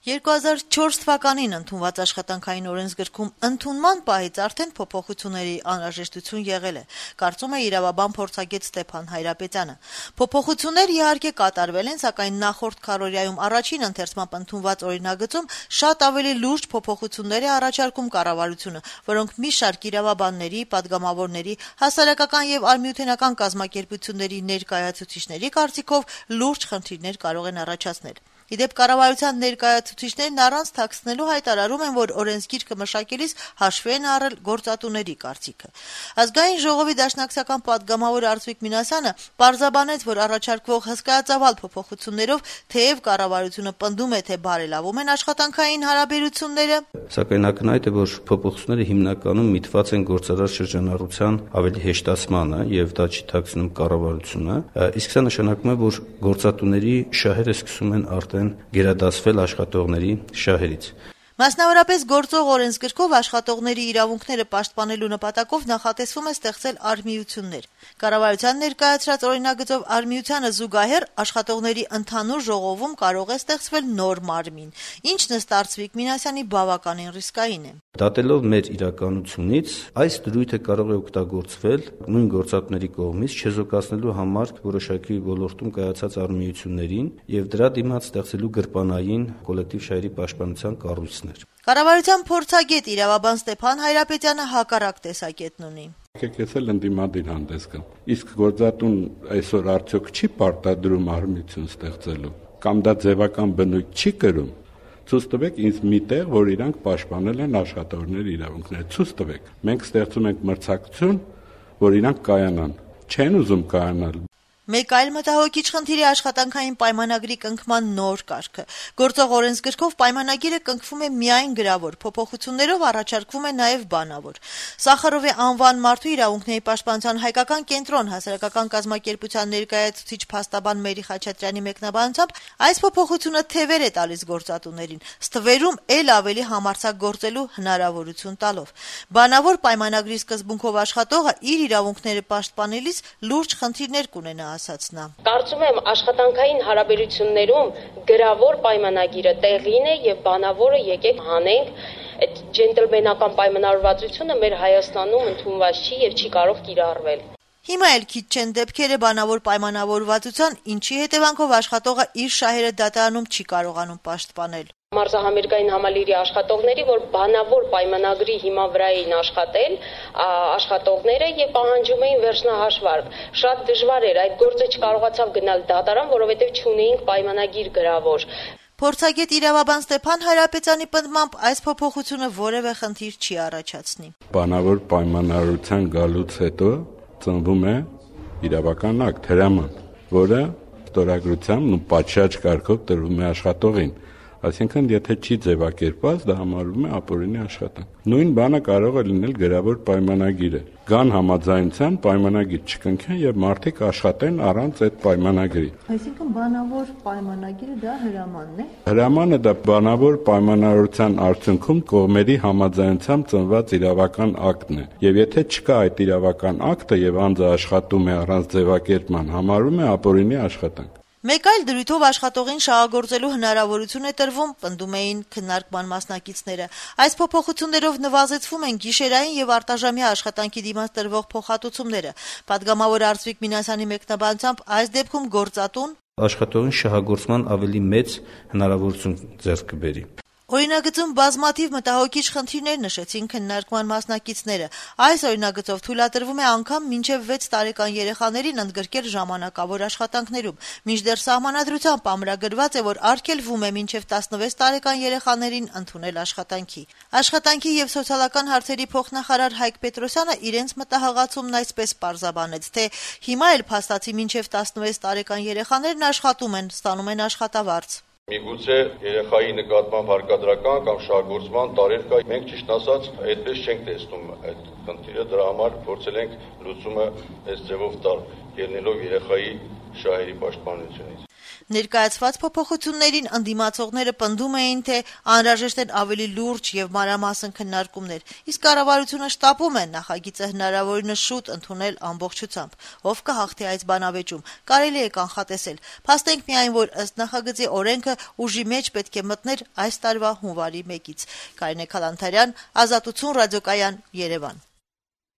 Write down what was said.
2004 թվականին ընդունված աշխատանքային օրենսգրքում ընդունման պահից արդեն փոփոխությունների անհրաժեշտություն եղել է, կարծում է իրավաբան փորձագետ Ստեփան Հայրապետյանը։ Փոփոխություններ իհարկե կատարվել են, սակայն նախորդ քառօրյայում առաջին ընթերցմամբ ընդունված օրինագծում շատ ավելի լուրջ փոփոխություններ է առաջարկում կառավարությունը, որոնք մի շարք իրավաբանների, պատգամավորների, հասարակական եւ արմյութենական կազմակերպությունների ներկայացուցիչների կարծիքով լուրջ խնդիրներ կարող են առաջացնել։ Իդեպ կառավարության ներկայացուցիչներն առանց թաքցնելու հայտարարում են, որ օրենսգիրքը մշակելիս հաշվի են առել գործատուների կարծիքը։ Ազգային ժողովի դաշնակցական պատգամավոր Արծվիկ Մինասյանը պարզաբանեց, որ առաջարկվող հսկայածավալ փոփոխություններով թեև կառավարությունը պնդում է, թե բարելավում են աշխատանքային հարաբերությունները, սակայն ակնհայտ է, որ փոփոխությունները հիմնականում միտված են գործարար շրջանառության ավելի հեշտացմանը եւ դա չի թաքցնում կառավարությունը, իսկ սա նշանակում է, որ գործատուների շահերը սկսում են արդեն գերադասվել աշխատողների շահերից։ Մասնավորապես գործող օրենսգրքով աշխատողների իրավունքները պաշտպանելու նպատակով նախատեսվում է ստեղծել արմիություններ։ Կառավարության ներկայացրած օրինագծով արմիությանը զուգահեռ աշխատողների ընդհանուր ժողովում կարող է ստեղծվել նոր մարմին, ինչն ըստ Արծվիկ Մինասյանի բավականին ռիսկային է։ Դատելով մեր իրականությունից, այս դրույթը կարող է օգտագործվել նույն գործատուների կողմից չեզոքացնելու համար որոշակի ոլորտում կայացած արմիություններին եւ դրա դիմաց ստեղծելու գրպանային կոլեկտիվ շահերի պաշտպանության կառույցներ։ Կառավարության փորձագետ իրավաբան Ստեփան Հայրապետյանը հակառակ տեսակետն ունի։ Ես էլ ընդդիմադիր հանդես գամ։ Իսկ գործատուն այսօր արդյոք չի պարտադրում արմիություն ստեղծելու կամ դա ձևական բնույթ չի կրում։ Ցույց տվեք ինձ մի տեղ, որ իրանք պաշտպանել են աշխատողների իրավունքները։ Ցույց տվեք։ Մենք ստեղծում ենք մրցակցություն, որ իրանք կայանան։ Չեն ուզում կայանալ։ Մեկ այլ մտահոգիչ խնդիր է աշխատանքային պայմանագրի կնքման նոր կարգը։ Գործող օրենսգրքով պայմանագիրը կնքվում է միայն գրավոր, փոփոխություններով առաջարկվում է նաև բանավոր։ Սախարովի անվան մարդու իրավունքների պաշտպանության հայկական կենտրոն հասարակական կազմակերպության ներկայացուցիչ փաստաբան Մերի Խաչատրյանի մեկնաբանությամբ այս փոփոխությունը թևեր է տալիս գործատուներին, ստվերում էլ ավելի համարձակ գործելու հնարավորություն տալով։ Բանավոր պայմանագրի սկզբունքով աշխատողը իր իրավունքները պաշտպանելիս լուրջ խնդիրներ կունենա, ասաց նա։ Կարծում եմ աշխատանքային հարաբերություններում գրավոր պայմանագիրը տեղին է եւ բանավորը եկեք հանենք։ Այդ ջենտլմենական պայմանավորվածությունը մեր Հայաստանում ընդունված չի եւ չի կարող կիրառվել։ Հիմա էլ քիչ չեն դեպքերը բանավոր պայմանավորվածության, ինչի հետևանքով աշխատողը իր շահերը դատարանում չի կարողանում պաշտպանել։ Մարզահամերգային համալիրի աշխատողների, որ բանավոր պայմանագրի հիման վրա էին աշխատել, աշխատողները եւ պահանջում էին վերջնահաշվարկ։ Շատ դժվար էր, այդ գործը չկարողացավ գնալ դատարան, որովհետեւ չունեինք պայմանագիր գրավոր։ Փորձագետ իրավաբան Ստեփան Հայրապետյանի պնդմամբ այս փոփոխությունը որևէ խնդիր չի առաջացնի։ Բանավոր պայմանավորության գալուց հետո ծնվում է իրավական ակտ, հրաման, որը ստորագրությամբ ու պատշաճ կարգով տրվում է աշխատողին։ Այսինքն, եթե չի ձևակերպված, դա համարվում է ապօրինի աշխատանք։ Նույն բանը կարող է լինել գրավոր պայմանագիրը։ Կան համաձայնության պայմանագիր չկնքեն եւ մարդիկ աշխատեն առանց այդ պայմանագրի։ Այսինքն, բանավոր պայմանագիրը դա հրամանն է։ Հրամանը դա բանավոր պայմանավորության արդյունքում կողմերի համաձայնությամբ ծնված իրավական ակտն է։ Եվ եթե չկա այդ իրավական ակտը եւ անձը աշխատում է առանց ձևակերպման, համարվում է ապօրինի աշխատանք։ Մեկ այլ դրույթով աշխատողին շահագործելու հնարավորություն է տրվում, պնդում էին քննարկման մասնակիցները։ Այս փոփոխություններով նվազեցվում են գիշերային եւ արտաժամյա աշխատանքի դիմաց տրվող փոխհատուցումները։ Պատգամավոր Արծվիկ Մինասյանի մեկնաբանությամբ այս դեպքում գործատուն աշխատողին շահագործման ավելի մեծ հնարավորություն ձեռք կբերի։ Օրինագծում բազմաթիվ մտահոգիչ խնդիրներ նշեցին քննարկման մասնակիցները։ Այս օրինագծով թույլատրվում է անգամ մինչև 6 տարեկան երեխաներին ընդգրկել ժամանակավոր աշխատանքներում, մինչդեռ սահմանադրությամբ ամրագրված է, որ արգելվում է մինչև 16 տարեկան երեխաներին ընդունել աշխատանքի։ Աշխատանքի եւ սոցիալական հարցերի փոխնախարար Հայկ Պետրոսյանը իրենց մտահղացումն այսպես պարզաբանեց, թե հիմա էլ փաստացի մինչև 16 տարեկան երեխաներն աշխատում են, ստանում են աշխատավարձ։ Միգուցե երեխայի նկատմամբ հարկադրական կամ շահագործման տարեր կա, մենք ճիշտ ասած այդպես չենք տեսնում այդ խնդիրը, դրա համար փորձել ենք լուծումը այս ձևով տալ, ելնելով երեխայի շահերի պաշտպանությունից։ Ներկայացված փոփոխություններին ընդդիմացողները պնդում էին, թե անհրաժեշտ են ավելի լուրջ եւ մանրամասն քննարկումներ, իսկ կառավարությունը շտապում է նախագիծը հնարավորինս շուտ ընդունել ամբողջությամբ։ Ով կհաղթի այս բանավեճում, կարելի է կանխատեսել։ Փաստենք միայն, որ ըստ նախագծի օրենքը ուժի մեջ պետք է մտներ այս տարվա հունվարի 1-ից։ Կարինե Քալանթարյան, Ազատություն ռադիոկայան, Երևան։